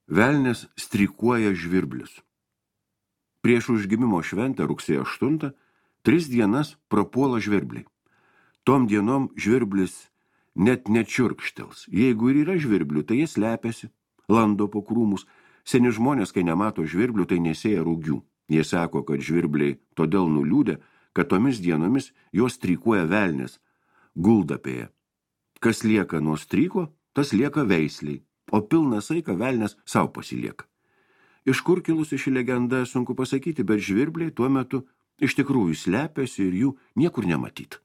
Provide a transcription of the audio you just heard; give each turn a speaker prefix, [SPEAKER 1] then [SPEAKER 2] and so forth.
[SPEAKER 1] Velnias strikuoja žvirblius. Prieš užgimimo šventę rugsėjo 8 3 dienas prapuola žvirbliai. Tom dienom žvirblis net nečiurkštels. Jeigu ir yra žvirblių, tai jie slepiasi, lando po krūmus. Seni žmonės, kai nemato žvirblių, tai nesėja rūgių. Jie sako, kad žvirbliai todėl nuliūdė, kad tomis dienomis jos strikuoja velnias guldapėje. Kas lieka nuo stryko, tas lieka veisliai, o pilną saiką velnias savo pasilieka. Iš kur kilusi ši legenda, sunku pasakyti, bet žvirbliai tuo metu iš tikrųjų slepiasi ir jų niekur nematyti.